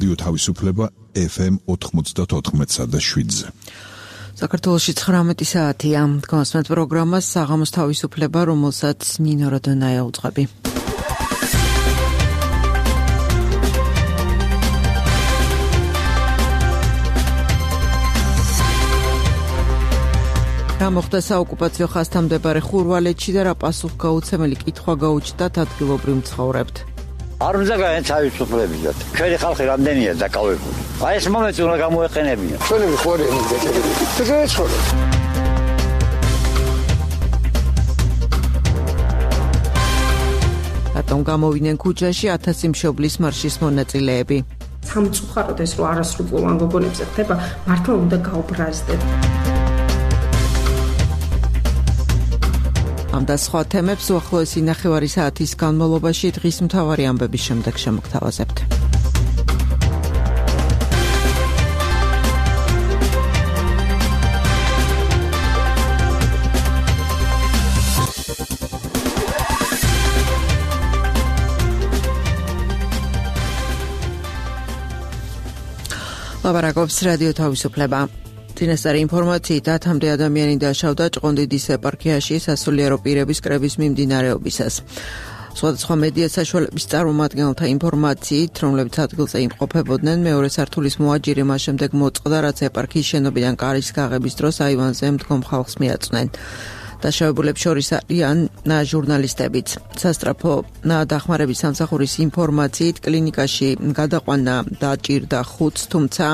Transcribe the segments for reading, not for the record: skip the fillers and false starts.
რადიო თავისუფლება FM 94.7-ზე. საქართველოში 19 საათია. კონსმეთ პროგრამას საღამოს თავისუფლება, რომელსაც ნინო როდონაია უძღვები. რა მოხდა საოკუპაციო ხაზთან მდებარე ხურვალეთში და რა პასუხგაუცემელი კითხვა გაუჩნდათ ადგილობრივ მცხოვრებთ. არ უნდა გაეთავისუფლებიათ. ჩვენი ხალხი რამდენია დაკავებული. აი ეს მომენტი უნდა გამოეყენებინა. ჩვენი ხوارი მიგეჭერები. შეგეცხოვე. რატომ გამოვიდნენ ქუჩაში 1000 მშობლის მარშის მონაწილეები? სამწუხაროდ ეს რო არასრულოვან გოგონებზე ხდება, მართლა უნდა გაუბრაზდეთ. ამ და სხვა თემებს უახლოესი ნახევარი საათის განმავლობაში დღის მთავარი ამბების შემდეგ შემოგთავაზებთ. ლაბარაკობს რადიო თავისუფლება. წინასწარი ინფორმაციით 10-მდე ადამიანი დაშავდა ჭყონდიდის ეპარქიაში სასულიერო პირების კრების მიმდინარეობისას. სხვადასხვა მედია საშუალების წარმომადგენელთა ინფორმაციით, რომლებიც ადგილზე იმყოფებოდნენ, მეორე სართულის მოაჯირი მას შემდეგ მოწყდა, რაც ეპარქიის შენობიდან კარის გაღების დროს აივანზე მდგომ ხალხს მიაწვნენ. დაშავებულებს შორის არიან ჟურნალისტებიც. სასტრაფო დახმარების სამსახურის ინფორმაციით, კლინიკაში გადაყვანა დაჭირდა 5-ს, თუმცა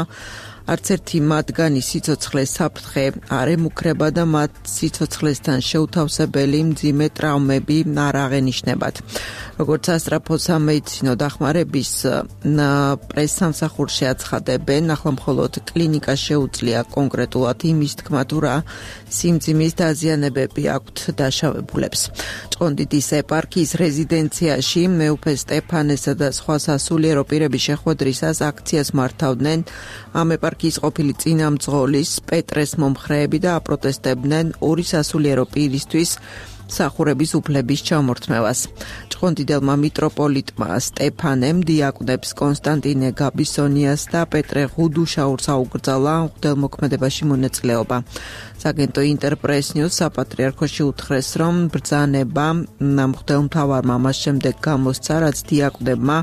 არც ერთი მათგანი სიცოცხლეს საფრთხე არ ემუქრება და მათ სიცოცხლესთან შეუთავსებელი მძიმე ტრავმები არ აღენიშნებათ. როგორც სასტრაფო სამედიცინო დახმარების პრესსამსახურში აცხადებენ, ახლა მხოლოდ კლინიკა შეუძლია კონკრეტულად იმის თქმა თუ რა სიმძიმის დაზიანებები აქვთ დაშავებულებს. ჭყონდიდის ეპარქიის რეზიდენციაში მეუფე სტეფანესა და სხვა სასულიერო პირების შეხვედრისას აქციას მართავდნენ ამ ეპარქიის ყოფილი წინამძღოლის პეტრეს მომხრეები და აპროტესტებდნენ ორი სასულიერო პირისთვის სახურების უფლების ჩამორთმევას. ჭყონდიდელმა მიტროპოლიტმა სტეფანემ დიაკვნებს კონსტანტინე გაბისონიას და პეტრე ღუდუშაურს აუკრძალა მღვდელმოქმედებაში მონაწილეობა. საგენტო ინტერპრეს ნიუს საპატრიარქოში უთხრეს, რომ ბრძანება მღვდელმთავარმა მას შემდეგ გამოსცა, რაც დიაკვნებმა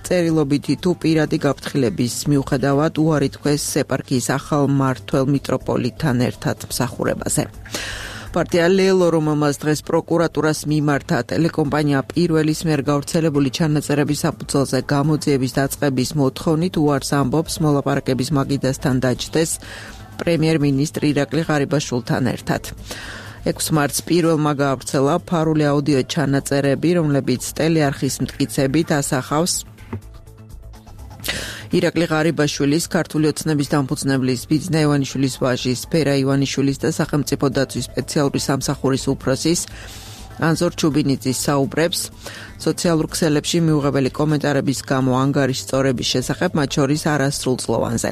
წერილობითი თუ პირადი გაფრთხილების მიუხედავად უარი თქვეს ეპარქიის ახალ მმართველ მიტროპოლიტთან ერთად მსახურებაზე. პარტია ლელო, რომელმაც დღეს პროკურატურას მიმართა ტელეკომპანია პირველის მიერ გავრცელებული ჩანაწერების საფუძველზე გამოძიების დაწყების მოთხოვნით უარს ამბობს მოლაპარაკების მაგიდასთან დაჯდეს პრემიერ-მინისტრი ირაკლი ღარიბაშვილთან ერთად. 6 მარტს პირველმა გაავრცელა ფარული აუდიო ჩანაწერები, რომლებიც ტელეარხის მტკიცებით ასახავს ირაკლი ღარიბაშვილის, ქართული ოცნების დამფუძნებლის ბიძინა ივანიშვილის ვაჟის, ფერა ივანიშვილის და სახელმწიფო დაცვის სპეციალური სამსახურის უფროსის ანზორ ჩუბინიძის საუბრებს სოციალურ ქსელებში მიუღებელი კომენტარების გამო ანგარიშწორების შესახებ, მათ შორის არასრულწლოვანზე.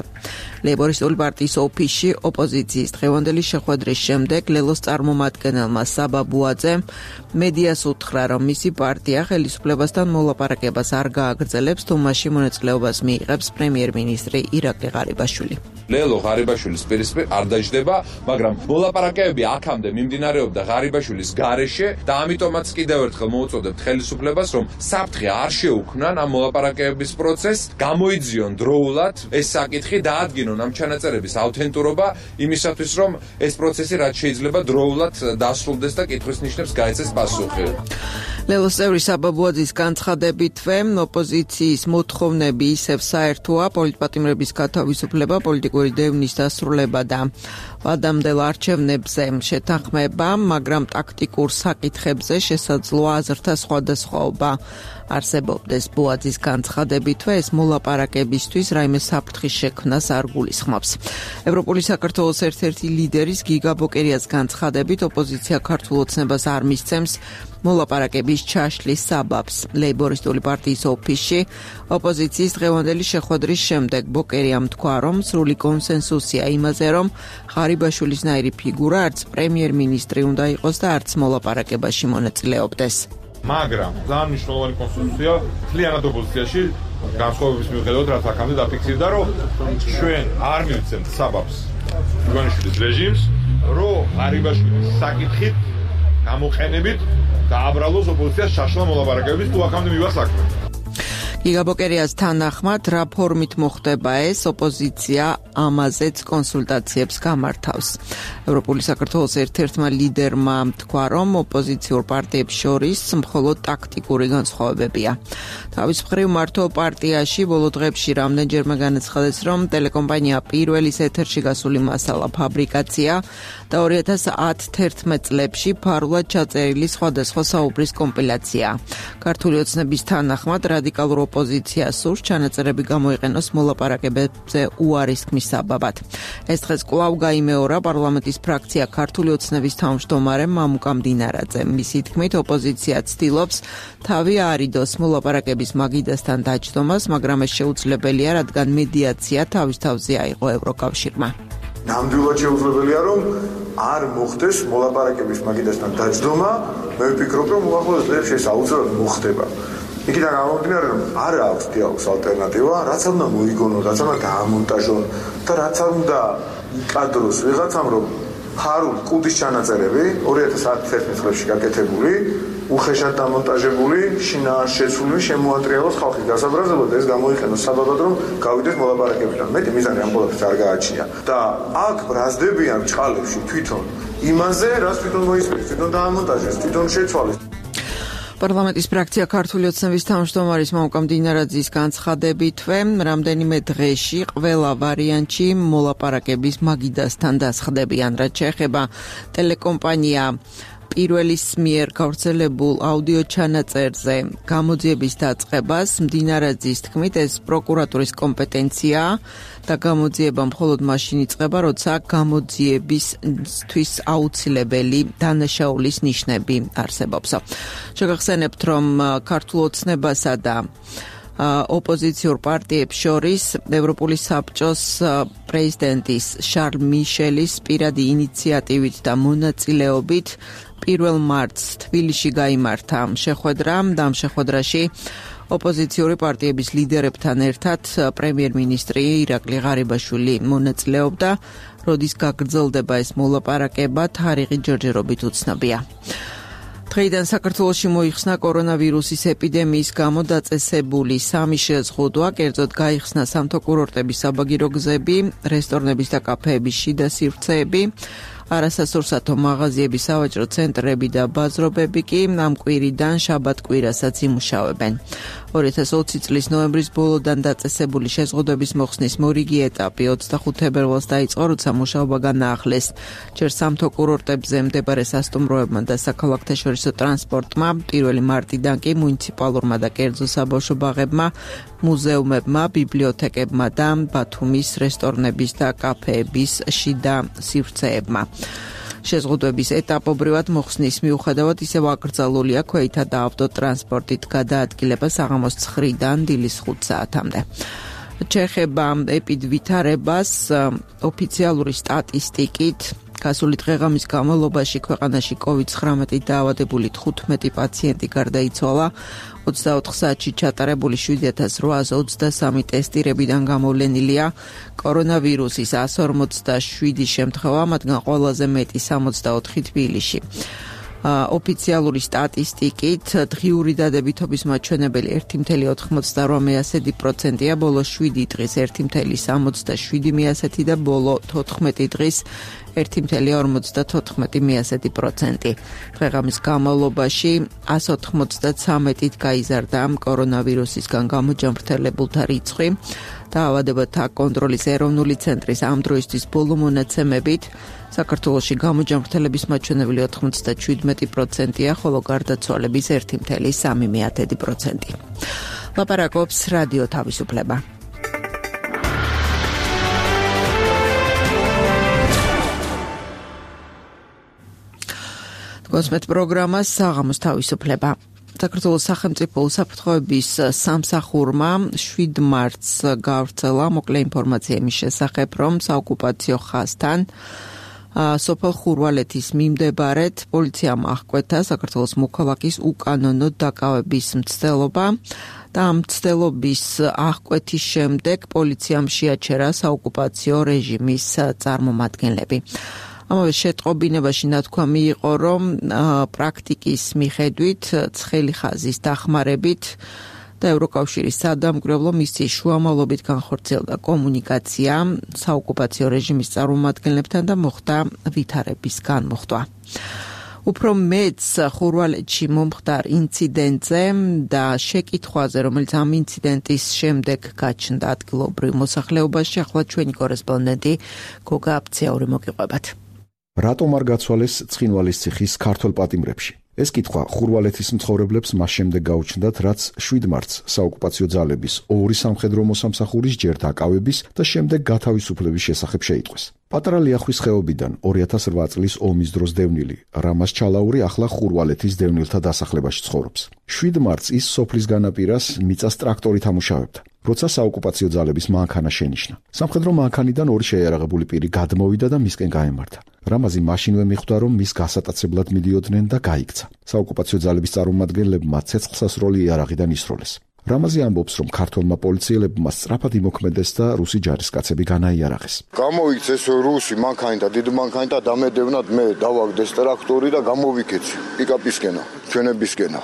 ლეიბორისტული პარტიის ოფისში ოპოზიციის დღევანდელი შეხვედრის შემდეგ ლელოს წარმომადგენელმა საბა ბუაძემ მედიას უთხრა, რომ მისი პარტია ხელისუფლებასთან მოლაპარაკებას არ გააგრძელებს, თუ მასში მონაწილეობას მიიღებს პრემიერ-მინისტრი ირაკლი ღარიბაშვილი. ლელო ღარიბაშვილის პირისპირ არ დაჯდება, მაგრამ მოლაპარაკებები აქამდე მიმდინარეობდა ღარიბაშვილის გარეშე და ამიტომაც კიდევ ერთხელ მოუწოდებთ ხელისუფლებას, რომ საფრთხე არ შეუქმნან ამ მოლაპარაკებების პროცესს, გამოიძიონ დროულად ეს საკითხი, დაადგინონ ამ ჩანაწერების ავთენტურობა იმისათვის, რომ ეს პროცესი რაც შეიძლება დროულად დასრულდეს და კითხვის ნიშნებს გაეცეს პასუხი. ლელოს წევრი საბა ბუაძის განცხადებითვე ოპოზიციის მოთხოვნები ისევ საერთოა, პოლიტპატიმრების გათავისუფლება, პოლიტიკური დევნის დასრულება და ვადამდელ არჩევნებზე შეთანხმება, მაგრამ ტაქტიკურ საკითხებზე შესაძლოა აზრთა სხვადასხვაობა არსებობდეს. ბუაძის განცხადებითვე ეს მოლაპარაკებისთვის რაიმე საფრთხის შექმნას არ გულისხმობს. ევროპული საქართველოს ერთ-ერთი ლიდერის გიგა ბოკერიას განცხადებით, ოპოზიცია ქართულ ოცნებას არ მისცემს მოლაპარაკების ჩაშლის საბაბს. ლეიბორისტული პარტიის ოფისში ოპოზიციის დღევანდელი შეხვედრის შემდეგ ბოკერიამ თქვა, რომ სრული კონსენსუსია იმაზე, რომ ღარიბაშვილისნაირი ფიგურა არც პრემიერ-მინისტრი უნდა იყოს და არც მოლაპარაკებაში მონაწილეობდეს. მაგრამ ძალიან მნიშვნელოვანი კონსენსუსია მთლიანად ოპოზიციაში განსხვავების მიუხედავად რაც აქამდე დაფიქსირდა, რომ ჩვენ არ მივცემთ საბაბს ივანიშვილის რეჟიმს, რომ ღარიბაშვილის საკითხით გამოყენებით დააბრალოს ოპოზიციას შაშლა მოლაპარაკებების თუ აქამდე მივა საქმე. გიგაბოკერიას თანახმად რა ფორმით მოხდება ეს ოპოზიცია ამაზეც კონსულტაციებს გამართავს. ევროპული საქართველოს ერთ-ერთმა ლიდერმა თქვა, რომ ოპოზიციურ პარტიებს შორის მხოლოდ ტაქტიკური განსხვავებებია. თავის მხრივ მართო პარტიაში ბოლო დღეებში რამდენჯერმე განაცხადეს, რომ ტელეკომპანია პირველის ეთერში გასული მასალა ფაბრიკაცია და 2010-11 წლებში ფარულად ჩაწერილი სხვადასხვა საუბრის კომპილაცია. ქართული ოცნების თანახმად რადიკალურ ოპოზიციას სურს ჩანაწერები გამოიყენოს მოლაპარაკებებზე უარის ქმის საბაბად. ეს დღეს კვლავ გაიმეორა პარლამენტის ფრაქცია ქართული ოცნების თავმჯდომარემ მამუკა მდინარაძემ. მისი თქმით, ოპოზიცია ცდილობს თავი არიდოს მოლაპარაკების მაგიდასთან დაჯდომას, მაგრამ ეს შეუძლებელია, რადგან მედიაცია თავის თავზე აიღო ევროკავშირმა. ნამდვილად შეუძლებელია, რომ არ მოხდეს მოლაპარაკების მაგიდასთან დაჯდომა, მე ვფიქრობ, რომ უახლოეს დღეებში ეს აუცილებლად მოხდება. იქიდან გამომდინარე, რომ არ აქვს დიალოგს ალტერნატივა, რაც უნდა მოიგონო, რაც უნდა დაამონტაჟონ და რაც უნდა იკადროს ვიღაცამ, რომ ფარულ კუდის ჩანაწერები 2011 წლებში გაკეთებული, უხეშად დამონტაჟებული, შინაა შეცვლილი, შემოატრიალოს ხალხის გასაბრაზებლად და ეს გამოიყენოს საბაბად, რომ გავიდეს მოლაპარაკებიდან. მეტი მიზანი ამ ყველაფერს არ გააჩნია და აქ ბრაზდებიან ჭყალებში თვითონ იმაზე, რაც თვითონ მოისმენს, თვითონ დაამონტაჟეს, თვითონ შეცვალეს. პარლამენტის ფრაქცია ქართული ოცნების თავმჯდომარის მამუკა მდინარაძის განცხადებითვე რამდენიმე დღეში ყველა ვარიანტში მოლაპარაკების მაგიდასთან დასხდებიან, რაც შეეხება ტელეკომპანია პირველის მიერ გავრცელებულ აუდიო ჩანაწერზე გამოძიების დაწყებას. მდინარაძის თქმით, ეს პროკურატურის კომპეტენციაა და გამოძიება მხოლოდ მაშინ იწყება, როცა გამოძიებისთვის აუცილებელი დანაშაულის ნიშნები არსებობს. შეგახსენებთ, რომ ქართულ ოცნებასა და ოპოზიციურ პარტიებს შორის ევროპული საბჭოს პრეზიდენტის შარლ მიშელის პირადი ინიციატივით და მონაწილეობით 1 მარტს თბილისში გაიმართა შეხვედრა და ამ შეხვედრაში ოპოზიციური პარტიების ლიდერებთან ერთად პრემიერ-მინისტრი ირაკლი ღარიბაშვილი მონაწილეობდა, როდის გაგრძელდება ეს მოლაპარაკება, თარიღი ჯერჯერობით უცნობია. დღეიდან საქართველოში მოიხსნა კორონავირუსის ეპიდემიის გამო დაწესებული 3 შეზღუდვა, კერძოდ გაიხსნა სამთო კურორტების საბაგირო გზები, რესტორნების და კაფეების შიდა სივრცეები, არასასურსათო მაღაზიები, სავაჭრო ცენტრები და ბაზრობები კი ამ კვირიდან შაბათ-კვირასაც იმუშავებენ. 2020 წლის ნოემბრის ბოლოდან დაწესებული შეზღუდვების მოხსნის მორიგი ეტაპი 25 თებერვალს დაიწყო, როცა მუშაობა განაახლეს ჯერ სამთო კურორტებზე მდებარე სასტუმროებმა და საქალაქთაშორისო ტრანსპორტმა, 1 მარტიდან კი მუნიციპალურმა და კერძო საბავშვო ბაღებმა, მუზეუმებმა, ბიბლიოთეკებმა და ბათუმის რესტორნების და კაფეების შიდა სივრცეებმა. შეზღუდვების ეტაპობრივად მოხსნის მიუხედავად ისევ აკრძალულია ქვეითა და ავტოტრანსპორტით გადაადგილება საღამოს 9-დან დილის 5 საათამდე. ჩეხება ეპიდვითარებას ოფიციალური სტატისტიკით გასული დღეღამის განმავლობაში ქვეყანაში COVID-19 დაავადებული 15 პაციენტი გარდაიცვალა, 24 საათში ჩატარებული 7823 ტესტირებიდან გამოვლენილია კორონავირუსის 147 შემთხვევა, მათგან ყველაზე მეტი 64 თბილისში. ოფიციალური სტატისტიკით დღიური დადებითობის მაჩვენებელი 1,88%-ია, ბოლო 7 დღის 1,67% და ბოლო 14 დღის 1,54%. დღეღამის განმავლობაში 193-ით გაიზარდა კორონავირუსისგან გამოჯამრთელებულთა რიცხვი. დაავადებათა კონტროლის ეროვნული ცენტრის ამ დროისთვის ბოლო მონაცემებით საქართველოში გამოჯამრთელების მაჩვენებელი 97%-ია, ხოლო გარდაცვალების 1,3%. ლაპარაკობს რადიო თავისუფლება. გოსმეთ პროგრამა საღამოს თავისუფლება. საქართველოს სახელმწიფო უსაფრთხოების სამსახურმა 7 მარტს გავრცელა მოკლე ინფორმაცია იმის შესახებ, რომ საოკუპაციო ხაზთან სოფელ ხურვალეთის მიმდებარედ პოლიციამ აღკვეთა საქართველოს მოქალაქის უკანონო დაკავების მცდელობა და ამ მცდელობის აღკვეთის შემდეგ პოლიციამ შეაჩერა საოკუპაციო რეჟიმის წარმომადგენლები. ამავე შეტყობინებაში ნათქვამი იყო, რომ პრაქტიკის მიხედვით ცხელი ხაზის დახმარებით და ევროკავშირის სადამკვირვებლო მისიის შუამავლობით განხორციელდა კომუნიკაცია საოკუპაციო რეჟიმის წარმომადგენლებთან და მოხდა ვითარების განმუხტვა. უფრო მეც ხურვალეთში მომხდარ ინციდენტზე და შეკითხვაზე, რომელიც ამ ინციდენტის შემდეგ გაჩნდა ადგილობრივ მოსახლეობაში, ახლა ჩვენი კორესპონდენტი გოგა აფციური მოგიყვებათ. რატომ არ გაცვალეს ცხინვალის ციხის ქართველ პატიმრებში? ეს კითხვა ხურვალეთის მცხოვრებლებს მას შემდეგ გაუჩნდათ, რაც 7 მარტს საოკუპაციო ძალების ორი სამხედრო მოსამსახურის ჯერ დაკავების და შემდეგ გათავისუფლების შესახებ შეიტყვეს. პატარა ლიახვის ხეობიდან 2008 წლის ომის დროს დევნილი რამაზ ჩალაური ახლა ხურვალეთის დევნილთა დასახლებაში ცხოვრობს. 7 მარტს ის სოფლის განაპირას მიწას ტრაქტორით ამუშავებდა, როცა საოკუპაციო ძალების მანქანა შენიშნა. სამხედრო მანქანიდან ორი შეიარაღებული პირი გადმოვიდა და მისკენ გაემართა. რამაზი მაშინვე მიხვდა, რომ მის გასატაცებლად მიდიოდნენ და გაიქცა. საოკუპაციო ძალების წარმომადგენლებმა ცეცხლსასროლი იარაღიდან ისროლეს. რამაზი ამბობს, რომ ქართველმა პოლიციელებმა სწრაფად იმოქმედეს და რუსი ჯარისკაცები განაიარაღეს. გამოვიქცეს რუსი მანქანი და დიდ მანქანი და დამედევნად მე დავაგდეს ტრაქტორი და გამოვიქეცი პიკაპისკენა, ჩვენებისკენა.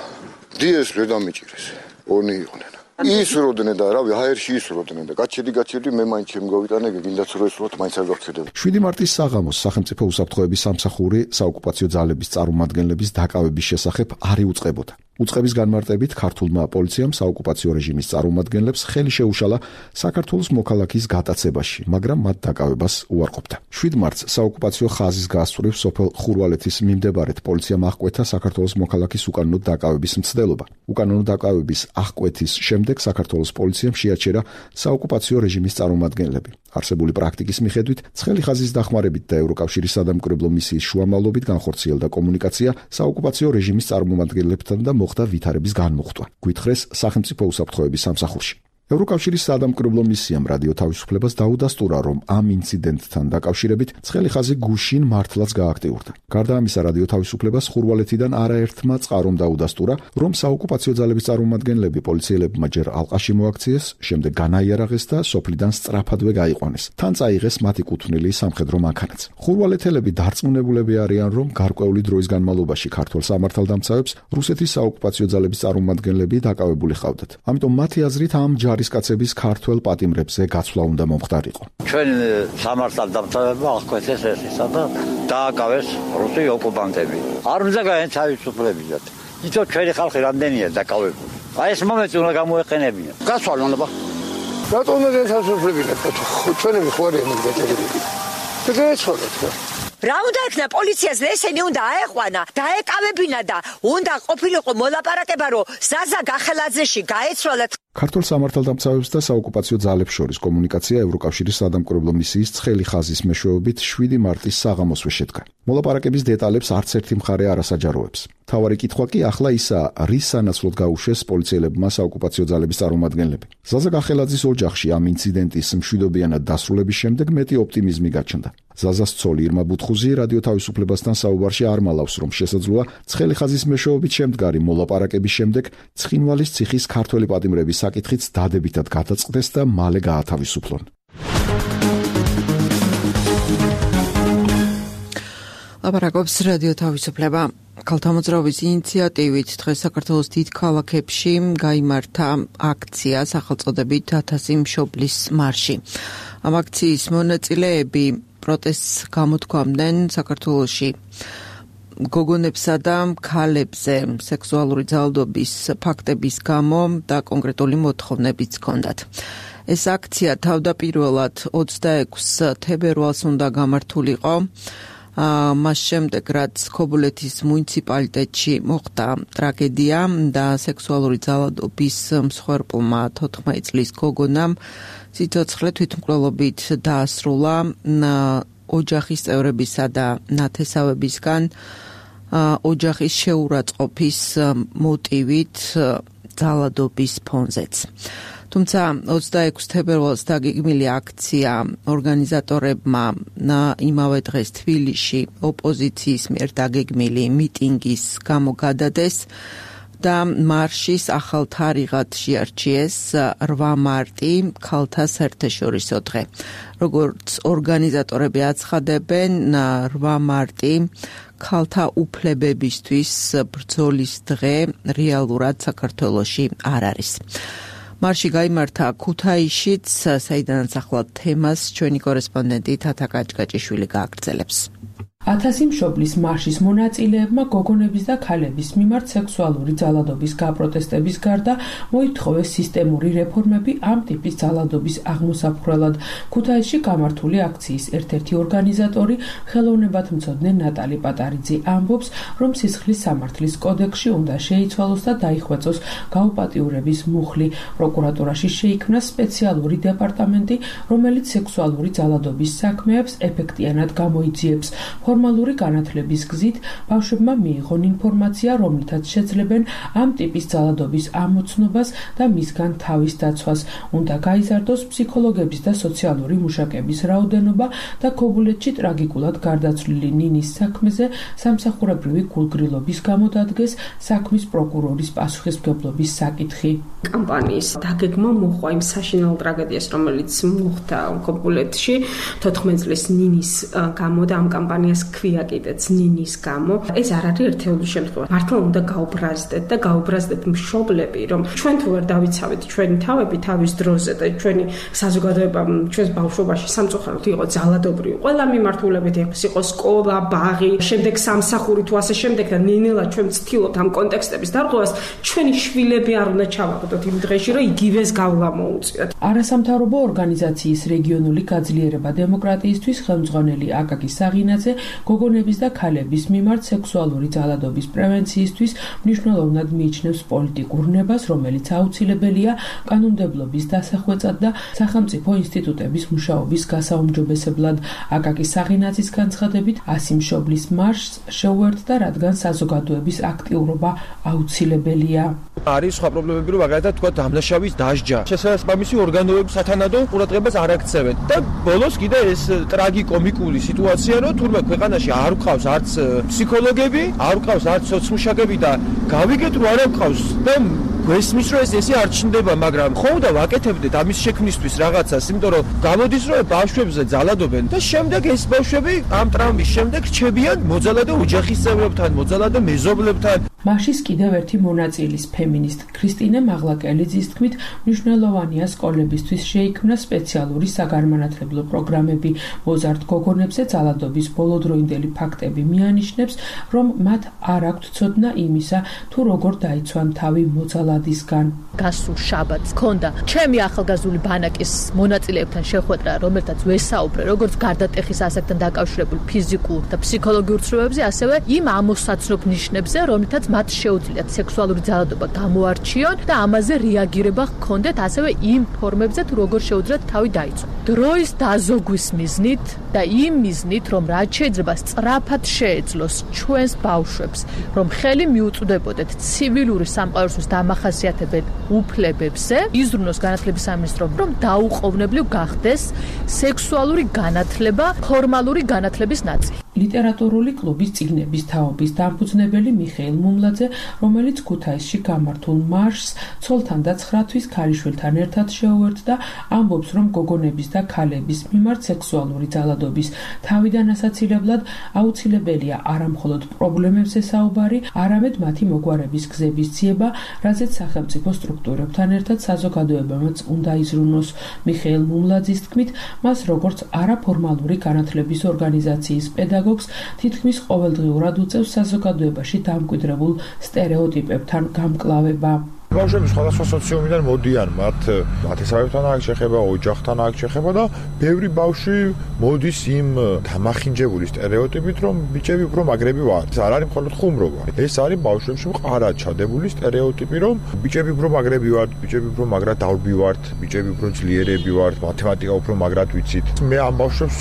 დიეს ვერ დამიჭირეს. ორნი იყვნენ. ისროდნენ და რავი, ჰაერში ისროდნენ და გაჩერდი მე მაინც შემგავიტანე, გინდაც რო ისროთ, მაინც არ გავჩერდები. 7 მარტის საღამოს სახელმწიფო უსაფრთხოების სამსახური საოკუპაციო ძალების წარმომადგენლების დაკავების შესახებ არ იუწყებოდა. უწყების განმარტებით ქართულმა პოლიციამ საოკუპაციო რეჟიმის წარმომადგენლებს ხელი შეუშალა საქართველოს მოქალაქის გატაცებაში, მაგრამ მათ დაკავებას უარყოფდა. 7 მარტს საოკუპაციო ხაზის გასწვრივ სოფელ ხურვალეთის მიმდებარედ პოლიციამ აღკვეთა საქართველოს მოქალაქის უკანონო დაკავების მცდელობა. უკანონო დაკავების აღკვეთის შემდეგ საქართველოს პოლიციამ შეაჩერა საოკუპაციო რეჟიმის წარმომადგენლები. არსებული პრაქტიკის მიხედვით ცხელი ხაზის დახმარებით და ევროკავშირის სადამკვირვებლო მისიის შუამავლობით განხორციელდა კომუნიკაცია საოკუპაციო რეჟიმის წარმომადგენლებთან და მოხდა ვითარების განმუხტვა. გვითხრეს სახელმწიფო უსაფრთხოების სამსახურში. ევროკავშირის სადამკვირვებლო მისიამ რადიო თავისუფლებას დაუდასტურა, რომ ამ ინციდენტთან დაკავშირებით ცხელი ხაზი გუშინ მართლაც გააქტიურდა. გარდა ამისა, რადიო თავისუფლებას ხურვალეთიდან არაერთმა წყარომ დაუდასტურა, რომ საოკუპაციო ძალების წარმომადგენლები პოლიციელებმა ჯერ ალყაში მოაქციეს, შემდეგ განაიარაღეს და სოფლიდან სწრაფადვე გაიყვანეს. თან წაიღეს მათი კუთვნილი სამხედრო მანქანაც. ხურვალეთელები დარწმუნებულები არიან, რომ გარკვეული დროის განმავლობაში ქართველ სამართალდამცავებს რუსეთის საოკუპაციო ძალების წარმომადგენლები დაკავებული ჰყავდათ. ამიტომ მათი აზრით ამ ჯარისკაცების ქართველ პატიმრებზე გაცვლა უნდა მომხდარიყო. ჩვენ სამართალდამცავებმა აღკვეცეს ეს ისა და დააკავეს რუსი ოკუპანტები. არ უნდა გაეთავისუფლებიათ. იცით ჩვენი ხალხი რამდენია დაკავებული. აი ეს მომენტი უნდა გამოეყენებინათ. გასვალონ აბა. რატომ უნდა გაეთავისუფლებინათ? ჩვენები ხო არის მიგეჭერები. შეგეცვალეთ. რა უნდა ექნა პოლიციას ესენი უნდა აეყვანა, დაეკავებინა და უნდა ყოფილიყო მოლაპარაკება, რომ ზაზა გახელაძეში გაეცვალათ. ქართულ სამართალდამცავებს და საოკუპაციო ძალებს შორის კომუნიკაცია ევროკავშირის სადამკვირვებლო მისიის ცხელი ხაზის მეშვეობით 7 მარტის საღამოსვე შედგა. მოლაპარაკების დეტალებს არც ერთი მხარე არ ასაჯაროებს. მთავარი კითხვა კი ახლა ისაა, რის სანაცვლოდ გაუშვეს პოლიციელებმა საოკუპაციო ძალების წარმომადგენლები. ზაზა გახელაძის ოჯახში ამ ინციდენტის მშვიდობიანად დასრულების შემდეგ მეტი ოპტიმიზმი გაჩნდა. ზაზას ცოლი ირმა ბუთხუზი რადიო თავისუფლებასთან საუბარში არ მალავს, რომ შესაძლოა ცხელი ხაზის მეშვეობით შემდგარი მოლაპარაკების შემდეგ ცხინვალის ციხის ქართველი პატიმრების საკითხიც დადებითად გადაწყდეს და მალე გაათავისუფლონ. ლაპარაკობს რადიო თავისუფლება. ქალთა მოძრაობის ინიციატივით დღეს საქართველოს დიდ ქალაქებში გაიმართა აქცია სახელწოდებით 1000 მშობლის მარში. ამ აქციის მონაწილეები პროტესტს გამოთქვამდნენ საქართველოში გოგონებსა და ქალებზე სექსუალური ძალადობის ფაქტების გამო და კონკრეტული მოთხოვნებიც ჰქონდათ. ეს აქცია თავდაპირველად 26 თებერვალს უნდა გამართულიყო. მას შემდეგ, რაც ქობულეთის მუნიციპალიტეტში მოხდა ტრაგედია და სექსუალური ძალადობის მსხვერპლმა 14 წლის გოგონამ სიცოცხლე თვითმკვლელობით დაასრულა ოჯახის წევრებისა და ნათესავებისგან ოჯახის შეურაცხყოფის მოტივით ძალადობის ფონზეც. თუმცა 26 თებერვალს დაგეგმილი აქცია ორგანიზატორებმა იმავე დღეს თბილისში ოპოზიციის მიერ დაგეგმილი მიტინგის გამო გადადეს და მარშის ახალ თარიღად შეარჩიეს 8 მარტი ქალთა საერთაშორისო დღე. როგორც ორგანიზატორები აცხადებენ, 8 მარტი ქალთა უფლებებისთვის ბრძოლის დღე რეალურად საქართველოში არ არის. მარში გაიმართა ქუთაისშიც, საიდანაც ახლა თემას ჩვენი კორესპონდენტი თათა კაჭკაჭიშვილი გააგრძელებს. 1000 მშობლის მარშის მონაწილეებმა გოგონების და ქალების მიმართ სექსუალური ძალადობის გაპროტესტების გარდა მოითხოვეს სისტემური რეფორმები ამ ტიპის ძალადობის აღმოსაფხვრელად. ქუთაისში გამართული აქციის ერთ-ერთი ორგანიზატორი, ხელოვნებათმცოდნე ნატალი პატარიძე ამბობს, რომ სისხლის სამართლის კოდექსში უნდა შეიცვალოს და დაიხვეწოს გაუპატიურების მუხლი. პროკურატურაში შეიქმნა სპეციალური დეპარტამენტი, რომელიც სექსუალური ძალადობის საქმეებს ეფექტიანად გამოიძიებს. ფორმალური განათლების გზით ბავშვებმა მიიღონ ინფორმაცია, რომლითაც შეძლებენ ამ ტიპის ძალადობის ამოცნობას და მისგან თავის დაცვას. უნდა გაიზარდოს ფსიქოლოგების და სოციალური მუშაკების რაოდენობა და ქობულეთში ტრაგიკულად გარდაცვლილი ნინის საქმეზე სამსახურებრივი გულგრილობის გამო დადგეს საქმის პროკურორის პასუხისმგებლობის საკითხი. კამპანიის დაგეგმა მოჰყვა იმ საშინაო ტრაგედიას, რომელიც მოხდა ქობულეთში 14 წლის ნინის გამო და ამ კამპანიას ქვია კიდეც ნინის გამო. ეს არ არის ერთეული შემთხვევა. მართლა უნდა გაუბრაზდეთ და გაუბრაზდეთ მშობლები, რომ ჩვენ თუ ვერ დავიცავით ჩვენი თავები თავის დროზე და ჩვენი საზოგადოება ჩვენს ბავშვობაში სამწუხაროდ იყო ძალადობრივი. ყველა მიმართულებით იყო სკოლა, ბაღი, შემდეგ სამსახური თუ ასე შემდეგ და ნინელა ჩვენ ვცდილობთ ამ კონტექსტების დარღვევას, ჩვენი შვილები არ უნდა ჩავაგდოთ იმ დღეში, რომ იგივეს გავლა მოუწიოთ. არასამთავრობო ორგანიზაციის რეგიონული გაძლიერება დემოკრატიისთვის ხელმძღვანელი აკაკი საღინაძე გოგონების და ქალების მიმართ სექსუალური ძალადობის პრევენციისთვის მნიშვნელოვნად მიიჩნევს პოლიტიკურ ნებას, რომელიც აუცილებელია კანონმდებლობის დასახვეწად და სახელმწიფო ინსტიტუტების მუშაობის გასაუმჯობესებლად. აკაკი საღინაძის განცხადებით 100 მშობლის მარშს შეუერთდა, რადგან საზოგადოების აქტიურობა აუცილებელია. არის სხვა პრობლემები, რომ მაგალითად თქვა დამნაშავის დასჯა. შესაბამისი ორგანოები სათანადო ყურადღებას არ აქცევენ და ბოლოს კიდე ეს ტრაგიკომიკული სიტუაცია, რომ თურმე ქვეყანაში არ გვყავს არც ფსიქოლოგები, არ გვყავს არც სოციმუშაკები და გავიგეთ რომ არ გვყავს და გვესმის რომ ესე არ ჩნდება, მაგრამ ხო და ვაკეთებდეთ ამის შექმნისთვის რაღაცას, იმიტომ რომ გამოდის რომ ბავშვებზე ძალადობენ და შემდეგ ეს ბავშვები ამ ტრამვის შემდეგ რჩებიან მოძალადე ოჯახის წევრებთან, მოძალადე მეზობლებთან. მარშის კიდევ ერთი მონაწილის ფემინისტ ქრისტინე მაღლაკელიძის თქმით, მნიშვნელოვანია სკოლებისთვის შეიქმნა სპეციალური საგანმანათლებლო პროგრამები. მოზარდ გოგონებზე ძალადობის ბოლოდროინდელი ფაქტები მიანიშნებს, რომ მათ არ აქვთ ცოდნა იმისა, თუ როგორ დაიცვან თავი მოძალადისგან. გასულ შაბათს ქონდა ჩემი ახალგაზრდული ბანაკის მონაწილეებთან შეხვედრა, რომელთაც ვესაუბრე როგორც გარდატეხის ასაკთან დაკავშირებულ ფიზიკურ და ფსიქოლოგიურ ცნობებზე, ასევე იმ ამოსაცნობ ნიშნებზე, რომლითაც მათ შეუძლიათ სექსუალური ძალადობა გამოარჩიონ და ამაზე რეაგირება ჰქონდეთ, ასევე იმ ფორმებზე თუ როგორ შეუძლიათ თავი დაიცვან. დროის დაზოგვის მიზნით და იმ მიზნით, რომ რაც შეიძლება სწრაფად შეეძლოს ჩვენს ბავშვებს, რომ ხელი მიუწვდებოდეთ ცივილური სამყაროსთვის დამახასიათებელ უფლებებზე, იზრუნოს განათლების სამინისტრომ, რომ დაუყოვნებლივ გახდეს სექსუალური განათლება ფორმალური განათლების ნაწილი. ლიტერატურული კლუბის წიგნების თაობის დამფუძნებელი მიხეილ მუმლაძე, რომელიც ქუთაისში გამართულ მარშს ცოლთან და 9 თვის ქალიშვილთან ერთად შეუერთდა, ამბობს, რომ გოგონების და ქალების მიმართ სექსუალური ძალადობის თავიდან ასაცილებლად აუცილებელია არამხოლოდ პრობლემებზე საუბარი, არამედ მათი მოგვარების გზების ძიება, რაზეც სახელმწიფო სტრუქტურებთან ერთად საზოგადოებამაც უნდა იზრუნოს. მიხეილ მუმლაძის თქმით, მას როგორც არაფორმალური განათლების ორგანიზაციის პედაგოგი თითქმის ყოველდღიურად უწევს საზოგადოებაში დამკვიდრებულ სტერეოტიპებთან გამკლავება. ბავშვები სხვადასხვა სოციუმიდან მოდიან, მათ მათესავებთან აქვს შეხება, ოჯახთან აქვს შეხება და ბევრი ბავშვი მოდის იმ დამახინჯებული სტერეოტიპით, რომ ბიჭები უფრო მაგრები ვართ. არ არის მხოლოდ ხუმრობა. ეს არის ბავშვებში მყარად ჩადებული სტერეოტიპი, რომ ბიჭები უფრო მაგრები ვართ, ბიჭები უფრო მაგრად დალბი ვართ, ბიჭები უფრო ძლიერები ვართ, მათემატიკა უფრო მაგრად ვიცით. მე ამ ბავშვებს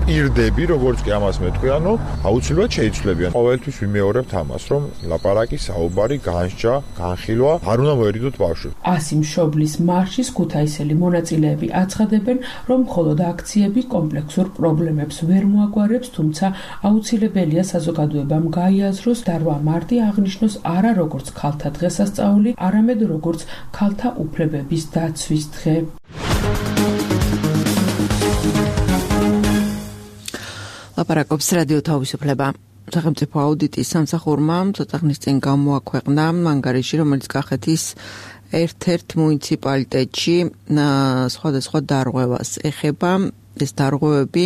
პირდები, როგორც კი ამას მეთქვი, ანუ აუცილებლად შეიცვლებიან. ყოველთვის ვიმეორებთ ამას, რომ ლაპარაკი, საუბარი, განსჯა, განხილვა არ უნდა მოერიდოთ ბავშვი. 100 მშობლის მარშის ქუთაისელი მონაწილეები აცხადებენ, რომ მხოლოდ აქციები კომპლექსურ პრობლემებს ვერ მოაგვარებს, თუმცა აუცილებელია საზოგადოებამ გაიაზროს და 8 მარტი აღნიშნოს არა როგორც ქალთა დღესასწაული, არამედ როგორც ქალთა უფლებების დაცვის დღე. ლაპარაკობს რადიო თავისუფლება. სახელმწიფო აუდიტის სამსახურმა ცოტა ხნის წინ გამოაქვეყნა ანგარიში, რომელიც კახეთის ერთ-ერთ მუნიციპალიტეტში სხვადასხვა დარღვევას ეხება. ეს დარღვევები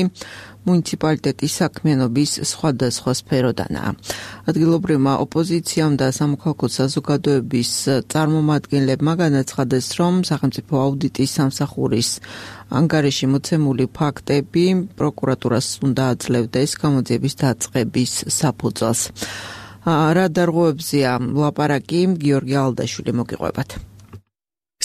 მუნიციპალიტეტის საქმიანობის სხვადასხვა სფეროდანაა. ადგილობრივმა ოპოზიციამ და სამოქალაქო საზოგადოების წარმომადგენლებმა განაცხადეს, რომ სახელმწიფო აუდიტის სამსახურის ანგარიში მოცემული ფაქტები პროკურატურას უნდა აძლევდეს გამოძიების დაწყების საფუძველს. რა დარღვევებზეა ლაპარაკი, გიორგი ალდაშვილი მოგიყვებათ.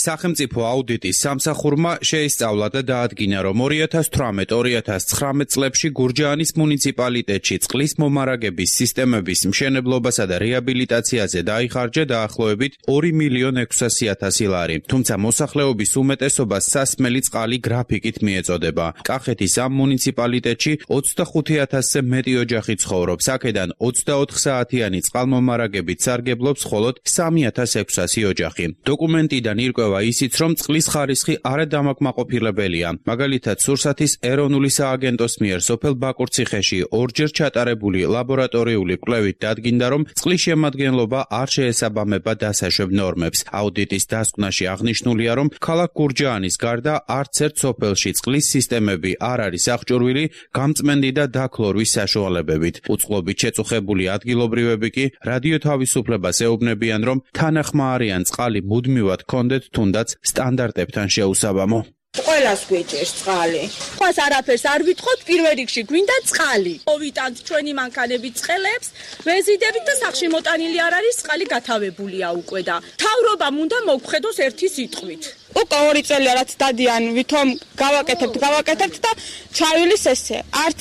სახელმწიფო აუდიტის სამსახურმა შეისწავლა და დაადგინა, რომ 2018-2019 წლებში გურჯაანის მუნიციპალიტეტში წყლის მომარაგების სისტემების მშენებლობასა და რეაბილიტაციაზე დაიხარჯა დაახლოებით 2.600.000 ლარი. თუმცა მოსახლეობის უმეტესობას სასმელი წყალი გრაფიკით მიეწოდება. კახეთის ამ მუნიციპალიტეტში 25,000-ზე მეტი ოჯახი ცხოვრობს. აქედან 24 საათიანი წყალმომარაგებით სარგებლობს მხოლოდ 3,600 ოჯახი. დოკუმენტიდან ირკვევა ისიც, რომ წყლის ხარისხი არადამაკმაყოფილებელია. მაგალითად, სურსათის ეროვნული სააგენტოს მიერ სოფელ ბაკურციხეში ორჯერ ჩატარებული ლაბორატორიული კვლევით დადგინდა, რომ წყლის შემადგენლობა არ შეესაბამება დასაშვებ ნორმებს. აუდიტის დასკვნაში აღნიშნულია, რომ ქალაქ გურჯაანის გარდა არც ერთ სოფელში წყლის სისტემები არ არის აღჭურვილი გამწმენდი და დაქლორვის საშუალებებით. უწყლობით შეწუხებული ადგილობრივები კი რადიო თავისუფლებას ეუბნებიან, რომ თანახმаарიან წყალი მუდმივად ჰქონდეთ თუნდაც სტანდარტებთან შეუსაბამო. ყველას გვეჭერს წყალი. ხოს არაფერს არ ვითხოვთ, პირველ რიგში გვინდა წყალი. მოვიტანთ ჩვენი მანქანებით წყელებს, ვეზიდებით და სახში მოტანილი არ არის, წყალი გათავებულია უკვე და თავრობამ უნდა მოგხედოს ერთი სიტყვით. უკვე 2 წელია რაც დადიან, ვითომ გავაკეთებთ და ჩავილის ესე. არც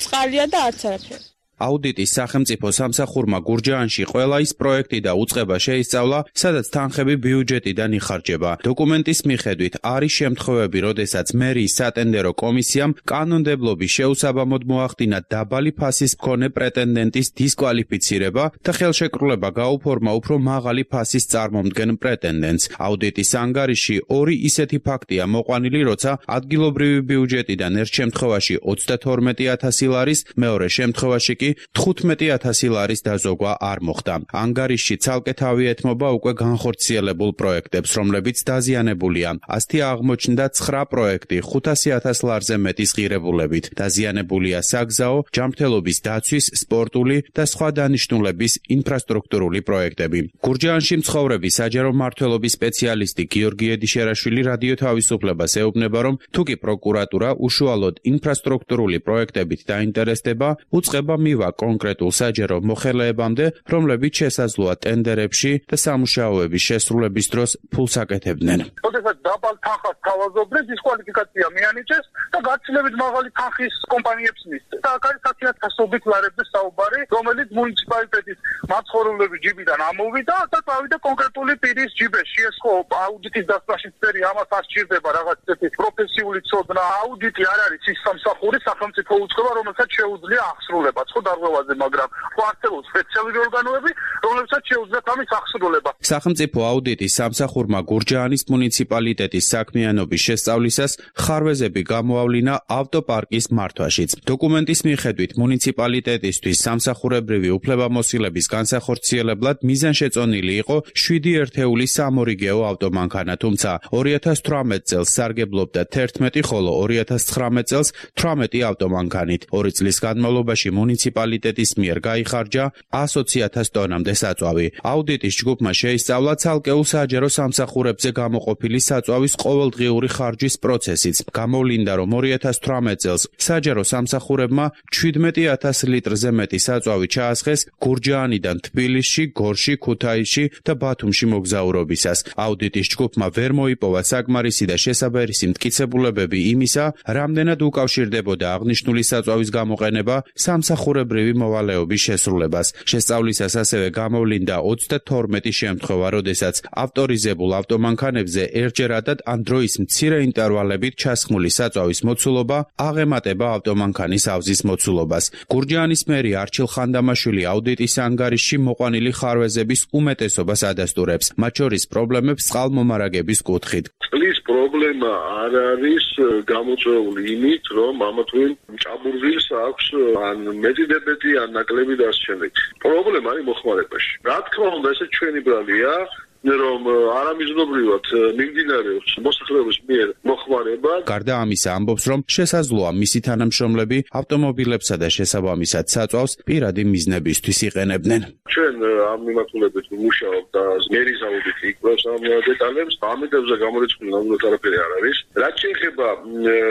წყალია და არც არაფერი. აუდიტის სახელმწიფო სამსახურმა გურჯაანში ყველა ის პროექტი და უწყება შეისწავლა, სადაც თანხები ბიუჯეტიდან იხარჯება. დოკუმენტის მიხედვით არის შემთხვევები, როდესაც მერიის სატენდერო კომისიამ კანონმდებლობის შეუსაბამოდ მოახდინა დაბალი ფასის მქონე პრეტენდენტის დისკვალიფიცირება და ხელშეკრულება გაუფორმა უფრო მაღალი ფასის წარმომდგენ პრეტენდენტს. აუდიტის ანგარიში 2 ისეთი ფაქტია მოყვანილი, როცა ადგილობრივი ბიუჯეტიდან ერთ შემთხვევაში 32,000 ლარის, მეორე შემთხვევაში კი 15,000 ლარის დაზოგვა არ მოხდა. ანგარიში ცალკე თავი ეთმობა უკვე განხორციელებულ პროექტებს, რომლებიც დაზიანებულია. ასთია აღმოჩნდა 9 პროექტი 500,000 ლარზე მეტის ღირებულებით. დაზიანებულია საგზაო, ჯანმრთელობის დაცვის, სპორტული და სხვა დანიშნულების ინფრასტრუქტურული პროექტები. გურჯაანში მცხოვრები საჯარო მმართველობის სპეციალისტი გიორგი ედიშერაშვილი რადიო თავისუფლებას ეუბნება, რომ თუკი პროკურატურა უშუალოდ ინფრასტრუქტურული პროექტებით დაინტერესდება, უწყება მივა კონკრეტულ საჯარო მოხელეებამდე, რომლებიც შესაძლოა ტენდერებში და სამუშაოების შესრულების დროს ფულს აკეთებდნენ. როდესაც დაბალ თანხას თავაზობდნენ, დისკვალიფიკაცია მიანიჭეს და გაცილებით მაღალი თანხის კომპანიებს მისცეს. და აქ არის 10,000-ობით ლარებზე საუბარი, რომელიც მუნიციპალიტეტის მაცხოვრებლების ჯიბიდან ამოვიდა და წავიდა კონკრეტული პირის ჯიბეში. ეს ხო აუდიტის დასწრაში წერი ამას არ სჭირდება რაღაც ისეთი პროფესიული ცოდნა. აუდიტი არ არის ის სამსახური სახელმწიფო უწყება, რომელსაც შეუძლია აღსრულება. ხო დარღვევაზე, მაგრამ ხო არსებობს სპეციალური ორგანოები, რომლებსაც შეუძლიათ ამის აღსრულება. სახელმწიფო აუდიტის სამსახურმა გურჯაანის მუნიციპალიტეტის საქმიანობის შესწავლისას ხარვეზები გამოავლინა ავტოპარკის მართვაშიც. დოკუმენტის მიხედვით მუნიციპალიტეტისთვის სამსახურებრივი უფლებამოსილების განსახორციელებლად მიზანშეწონილი იყო 7 ერთეული სამორიგეო ავტომანქანა, თუმცა 2018 წელს სარგებლობდა 11, ხოლო 2019 წელს 18 ავტომანქანით. 2 წლის განმავლობაში მუნიციპალიტეტის მიერ გაიხარჯა 120,000 ტონამდე საწვავი. აუდიტის ჯგუფმა შეისწავლა ცალკეულ საჯარო სამსახურებზე გამოყოფილი საწვავის ყოველდღიური ხარჯვის პროცესიც. გამოვლინდა, რომ 2018 წელს საჯარო სამსახურებმა 17,000 litrზე მეტი საწვავი ჩაასხეს გურჯაანიდან თბილისში, გორში, ქუთაისში და ბათუმში მოგზაურობისას. აუდიტის ჯგუფმა ვერ მოიპოვა საკმარისი და შესაბერისი მტკიცებულებები იმისა, რამდენად უკავშირდებოდა აღნიშნული საწვავის გამოყენება სამსახურებრივი ჩვეულებრივი მოვალეობის შესრულებას. შესწავლისას ასევე გამოვლინდა 32 შემთხვევა, როდესაც ავტორიზებულ ავტომანქანებზე ერთჯერადად ან დროის მცირე ინტერვალებით ჩასხმული საწვავის მოცულობა აღემატება ავტომანქანის ავზის მოცულობას. გურჯაანის მერი არჩილ ხანდამაშვილი აუდიტის ანგარიშში მოყვანილი ხარვეზების უმეტესობას ადასტურებს, მათ შორის პრობლემებს წყალმომარაგების კუთხით. წყლის პრობლემა არ არის გამოწვეული იმით, რომ ამა თუ იმ ჭაბურღილს აქვს ან მეტიდებეთი, ან ნაკლები და ასე შემდეგ. პრობლემა არის მოხმარებაში. რა თქმა უნდა, ესე ჩვენი ბრალია, რომ არამიზნობრივად მიმდინარეობს მოსახლეობის მიერ მოხმარება. გარდა ამისა ამბობს, რომ შესაძლოა მისი თანამშრომლები ავტომობილებსა და შესაბამისად საწვავს პირადი მიზნებისთვის იყენებდნენ. ჩვენ ამ მიმართულებით ვმუშაობთ და მერის აუდიტი იკვლევს ამ დეტალებს. ამიტომზე გამორიცხული ნამდვილად არაფერი არ არის. რაც შეეხება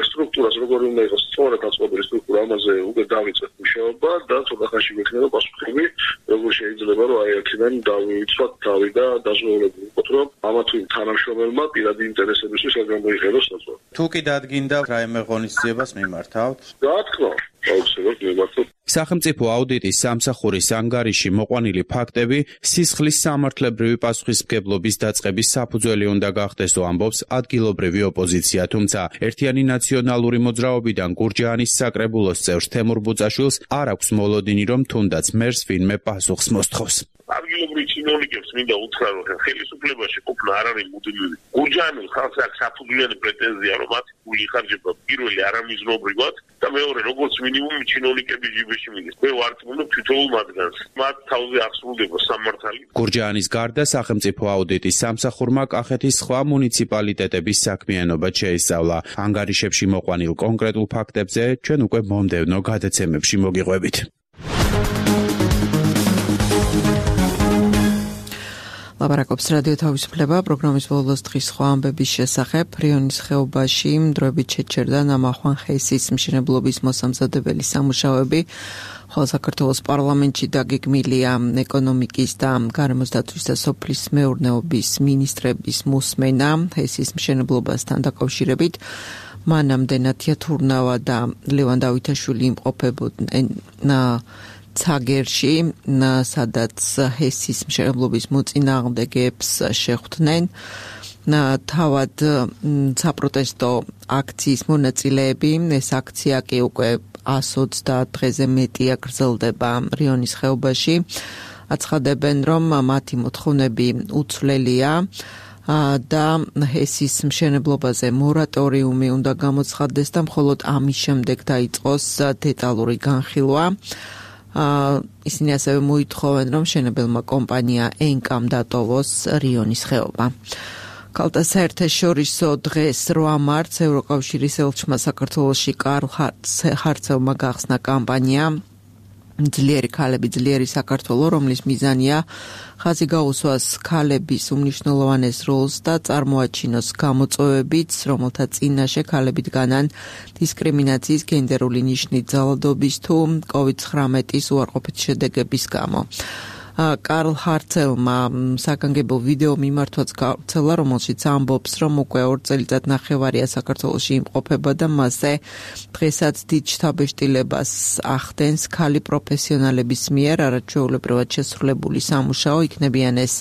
სტრუქტურას, როგორი უნდა იყოს სწორად აწყობილი სტრუქტურა, ამაზე უკვე დავიწყეთ მუშაობა და ცოტა ხანში გვექნება პასუხები, როგორ შეიძლება რომ აი აქედან დავიცვათ თავი და დაზღვეულებული ვიყოთ, რომ ამა თუ იმ თანამშრომელმა პირადი ინტერესებისთვის არ გამოიყენოს საწვავი. თუ კი დადგინდა რაიმე ღონისძიებას მიმართავთ? რა თქმა აუცილებლად მიმართავთ. სახელმწიფო აუდიტის სამსახურის ანგარიში მოყვანილი ფაქტები სისხლის სამართლებრივი პასუხისმგებლობის დაწყების საფუძველი უნდა გახდესო, ამბობს ადგილობრივი ოპოზიცია, თუმცა ერთიანი ნაციონალური მოძრაობიდან გურჯაანის საკრებულოს წევრ თემურ ბუწაშვილს არ აქვს მოლოდინი, რომ თუნდაც მერს ვინმე პასუხს მოსთხოვს. ადგილობრივ ჩინოვნიკებს მინდა უთხრა, რომ ხელისუფლებაში ყოფნა არ არის მუდმივი. გურჯაანულ ხალხს აქვს საფუძვლიანი პრეტენზია, რომ მათი გული ხარჯება პირველი არამიზნობრივად და მეორე როგორც მინიმუმ ჩინოვნიკების ჯიბეში მიდის. მე ვარწმუნებ თითოეულ მათგანს. მათ თავზე აღსრულდება სამართალი. გურჯაანის გარდა სახელმწიფო აუდიტის სამსახურმა კახეთის სხვა მუნიციპალიტეტების საქმიანობა შეისწავლა. ანგარიშებში მოყვანილ კონკრეტულ ფაქტებზე ჩვენ უკვე მომდევნო გადაცემებში მოგიყვებით. ლაპარაკობს რადიო თავისუფლება პროგრამის ბოლოს დღის სხვა ამბების შესახებ. რიონის ხეობაში დროებით შეჩერდა ნამახვან ხეისის მშენებლობის მოსამზადებელი სამუშაოები, ხოლო საქართველოს პარლამენტში დაგეგმილია ეკონომიკის და გარემოს დაცვის და სოფლის მეურნეობის მინისტრების მოსმენა ხეისის მშენებლობასთან დაკავშირებით. მანამდე ნათია თურნავა და ლევან დავითაშვილი იმყოფებოდნენ ცაგერში, სადაც ჰესის მშენებლობის მოწინააღმდეგეებს შეხვდნენ. თავად საპროტესტო აქციის მონაწილეები, ეს აქცია კი უკვე 130 დღეზე მეტია გრძელდება რიონის ხეობაში. აცხადებენ, რომ მათი მოთხოვნები უცვლელია და ჰესის მშენებლობაზე მორატორიუმი უნდა გამოცხადდეს და მხოლოდ ამის შემდეგ დაიწყოს დეტალური განხილვა. ისინი ასევე მოითხოვენ, რომ მშენებელმა კომპანია ენკამ დატოვოს რიონის ხეობა. ქალთა საერთაშორისო დღეს 8 მარტს ევროკავშირის ელჩმა საქართველოში კარლ ხარცელმა გახსნა კამპანია ძლიერი ქალები, ძლიერი საქართველო, რომლის მიზანია ხაზი გაუსვას ქალების უმნიშვნელოვანეს როლს და წარმოაჩინოს გამოწვევებიც, რომელთა წინაშე ქალები დგანან დისკრიმინაციის, გენდერული ნიშნით ძალადობის თუ COVID-19 უარყოფითი შედეგების გამო. კარლ ხარცელმა საგანგებო ვიდეო მიმართვაც გავრცელა, რომელშიც ამბობს, რომ უკვე 2 წელიწადნახევარია საქართველოში იმყოფება და მასზე დღესაც დიდ შთაბეჭდილებას ახდენს ქალი პროფესიონალების მიერ არაჩვეულებრივად შესრულებული სამუშაო, იქნებიან ეს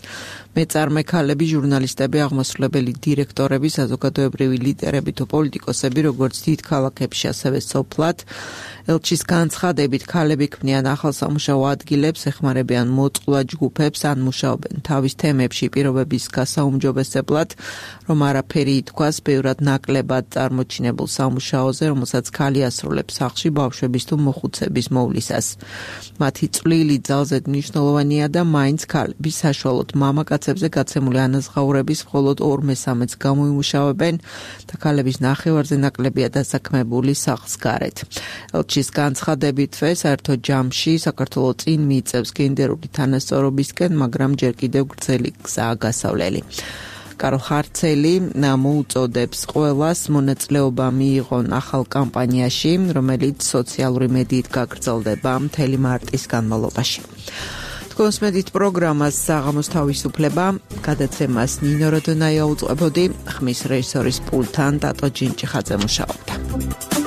მეწარმე ქალები, ჟურნალისტები, აღმასრულებელი დირექტორები, საზოგადოებრივი ლიდერები თუ პოლიტიკოსები, როგორც დიდ ქალაქებში, ასევე სოფლად. ელჩის განცხადებით, ქალები ქმნიან ახალ სამუშაო ადგილებს, ეხმარებიან მოწყვლად ჯგუფებს, ან მუშაობენ თავის თემებში პირობების გასაუმჯობესებლად, რომ არაფერი ითქვას ბევრად ნაკლებად წარმოჩინებულ სამუშაოზე, რომელსაც ქალი ასრულებს სახლში ბავშვების თუ მოხუცების მოვლისას. მათი წვლილი ძალზედ მნიშვნელოვანია და მაინც ქალები საშუალოდ მამაკაცებზე გაცემული ანაზღაურების მხოლოდ 2/3-ს გამოიმუშავებენ და ქალების ნახევარზე ნაკლებია დასაქმებული სახლს გარეთ. ელჩის განცხადებითვე საერთო ჯამში საქართველო წინ მიიწევს გენდერული თანასწორობისკენ, მაგრამ ჯერ კიდევ გრძელი გზაა გასავლელი. კარლ ხარცელი მოუწოდებს ყველას მონაწილეობა მიიღონ ახალ კამპანიაში, რომელიც სოციალური მედიით გაგრძელდება მთელი მარტის განმავლობაში. კონსმედით პროგრამას საღამოს თავისუფლება, გადაცემას ნინო როდონაია უწყებოდი, ხმის რეჟისორის პულტთან დატო ჯინჭიხაძე მუშაობდა.